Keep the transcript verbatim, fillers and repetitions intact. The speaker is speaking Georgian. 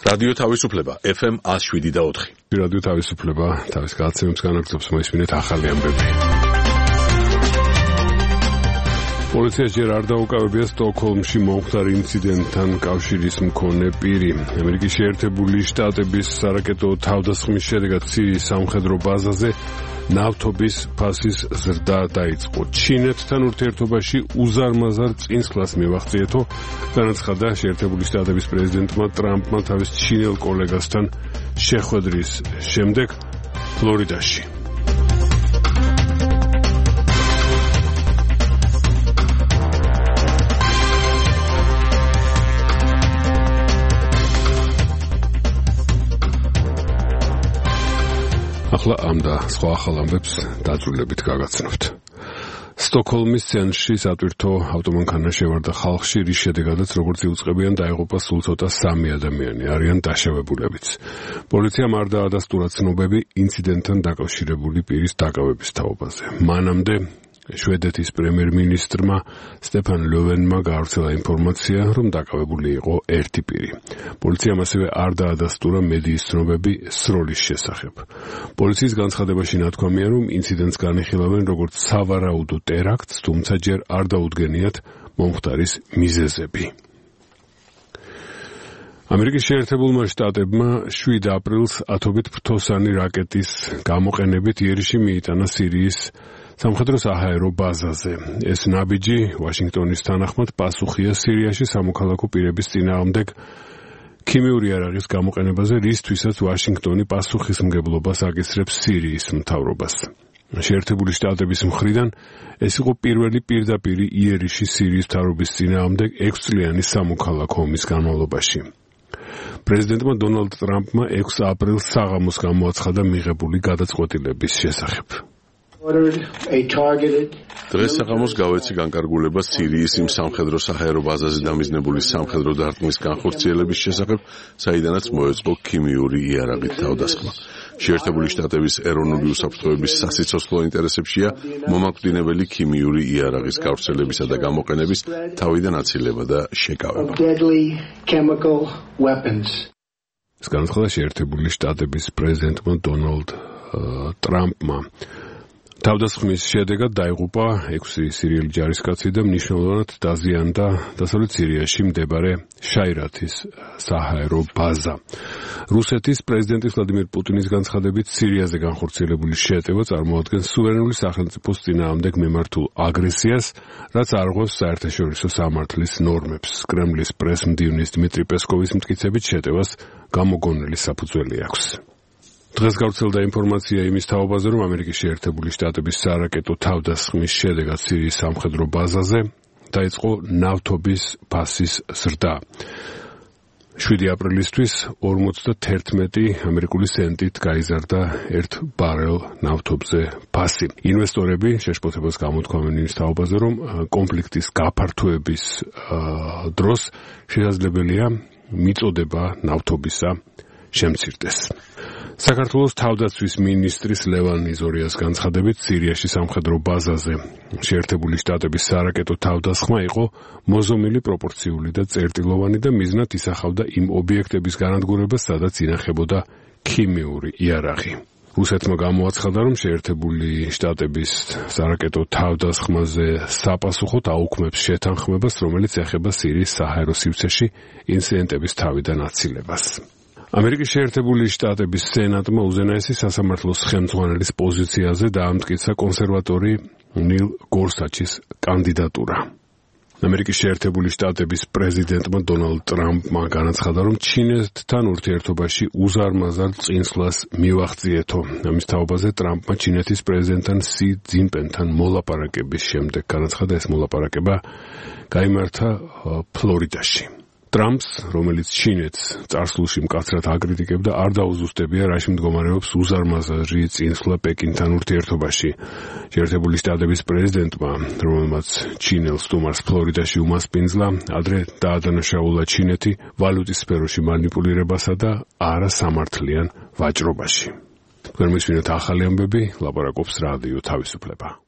რადიო თავისუფლება ეფ ემ one oh seven და four. რადიო თავისუფლება თავის გადაცემებს განაგრძობს, მოისმინეთ ახალი ამბები. პოლიცია ჯერ არ დაუკავებია სტოკჰოლმში მომხდარ ინციდენტთან კავშირის მქონე პირი. ამერიკის შეერთებული შტატების სარაკეტო თავდასხმის შედეგად სირიის სამხედრო ბაზაზე ნავთობის ფასის ზრდა დაიწყო. ჩინეთთან ურთიერთობაში უზარმაზარ წინსვლას მივაღწიეთო, განაცხადა შეერთებული შტატების პრეზიდენტმა ტრამპმა თავის ჩინელ კოლეგასთან შეხვედრის შემდეგ ფლორიდაში. ახლა ამ და სხვა ახალ ამბებს დაძრულებით გაგაცნობთ. სტოკჰოლმის ცენტრში სატვირთო ავტომანქანა შევარდა ხალხში, რის შედეგადაც როგორც იუწყებიან დაიღუპა სულ ცოტა სამი ადამიანი, არიან დაშავებულებიც. პოლიციამ არ დაადასტურა ცნობები ინციდენტთან დაკავშირებული პირის დაკავების თაობაზე. მანამდე შვედეთის პრემიერ-მინისტრმა სტეფან ლოვენმა გაავრცელა ინფორმაცია, რომ დაკავებული იყო ერთი პირი. პოლიციამ ასევე არ დაადასტურა მედიის ცნობები სროლის შესახებ. პოლიციის განცხადებაში ნათქვამია, რომ ინციდენტს განიხილავენ როგორც სავარაუდო ტერაქტს, თუმცა ჯერ არ დაუდგენიათ მომხდარის მიზეზები. ამერიკის შეერთებულმა შტატებმა შვიდ აპრილს ათობით ფრთოსანი რაკეტის გამოყენებით იერიში მიიტანა სირიის სამხედრო საჰაერო ბაზაზე. ეს ნაბიჯი ვაშინგტონის თანახმად პასუხია სირიაში სამოქალაქო პირების წინააღმდეგ ქიმიური იარაღის გამოყენებაზე, რისთვისაც ვაშინგტონი პასუხისმგებლობას აკისრებს სირიის მთავრობას. შეერთებული შტატების მხრიდან ეს იყო პირველი პირდაპირი იერიში სირიის მთავრობის წინააღმდეგ ექვსწლიანი სამოქალაქო ომის განმავლობაში. პრეზიდენტმა დონალდ ტრამპმა ექვსი აპრილს საღამოს გამოაცხადა მიღებული გადაწყვეტილების შესახებ. დღეს საღამოს გავეცი განკარგულება სირიის იმ სამხედრო საჰაერო ბაზაზე დამიზნებული სამხედრო დარტყმის განხორციელების შესახებ, საიდანაც მოეწყო ქიმიური იარაღით თავდასხმა. შეერთებული შტატების ეროვნული უსაფრთხოების სასიცოცხლო ინტერესებშია მომაკვდინებელი ქიმიური იარაღის გავრცელებისა და გამოყენების თავიდან აცილება და შეკავება. ეს განაცხადა შეერთებული შტატების პრეზიდენტმა დონალდ ტრამპმა. თავდასხმის შედეგად დაიღუპა ექვსი სირიელი ჯარისკაცი და მნიშვნელოვნად დაზიანდა დასავლეთ სირიაში მდებარე შაირათის საჰაერო ბაზა. რუსეთის პრეზიდენტის ვლადიმერ პუტინის განცხადებით სირიაზე განხორციელებული შეტევა წარმოადგენს სუვერენული სახელმწიფოს წინააღმდეგ მიმართულ აგრესიას, რაც არღვევს საერთაშორისო სამართლის ნორმებს. კრემლის პრესმდივნის დმიტრი პესკოვის მტკიცებით შეტევას გამოგონილი საფუძველი აქვს. დღეს გავრცელდა ინფორმაცია იმის თაობაზე, რომ ამერიკის შეერთებული შტატების სარაკეტო თავდასხმის შედეგად სირიის სამხედრო ბაზაზე დაიწყო ნავთობის ფასის ზრდა. შვიდი აპრილისთვის ორმოცდაათერთმეტი ამერიკული სენტით გაიზარდა ერთ ბარელ ნავთობზე ფასი. ინვესტორები შეშფოთებას გამოთქვამენ იმის თაობაზე, რომ კონფლიქტის გაფართოების დროს შესაძლებელია მიწოდება ნავთობისა შემცირდეს. საქართველოს თავდაცვის მინისტრის ლევან იზორიას განცხადებით, სირიაში სამხედრო ბაზაზე შეერთებული შტატების სარაკეტო თავდასხმა იყო მოზომილი, პროპორციული და წერტილოვანი და მიზნად ისახავდა იმ ობიექტების განადგურებას, სადაც ინახებოდა ქიმიური იარაღი. რუსეთმა გამოაცხადა, რომ შეერთებული შტატების სარაკეტო თავდასხმაზე საპასუხოდ აუქმებს შეთანხმებას, რომელიც ეხება სირიის საჰაერო სივრცეში ინციდენტების თავიდან აცილებას. ამერიკის შეერთებული შტატების სენატმა უზენაესი სასამართლოს ხელმძღვანელის პოზიციაზე დაამტკიცა კონსერვატორი ნილ გორსაჩის კანდიდატურა. ამერიკის შეერთებული შტატების პრეზიდენტმა დონალდ ტრამპმა განაცხადა, რომ ჩინეთთან ურთიერთობაში უზარმაზარ წინსვლას მივაღწიეთო. ამის თაობაზე ტრამპმა ჩინეთის პრეზიდენტთან სი ძინპენთან მოლაპარაკების შემდეგ განაცხადა, ეს მოლაპარაკება გაიმართა ფლორიდაში. ტრამპს, რომელიც ჩინეთს წარსულში მკაცრად აკრიტიკებდა, არ დაუზუსტებია, რაში მდგომარეობს უზარმაზარი წინსვლა პეკინთან ურთიერთობაში. შეერთებული შტატების პრეზიდენტმა, რომელმაც ჩინელ სტუმარს ფლორიდაში უმასპინძლა, ადრე დაადანაშაულა ჩინეთი ვალუტის სფეროში მანიპულირებასა და არასამართლიან ვაჭრობაში. თქვენ მისმინეთ ახალი ამბები, ლაპარაკობს რადიო თავისუფლება.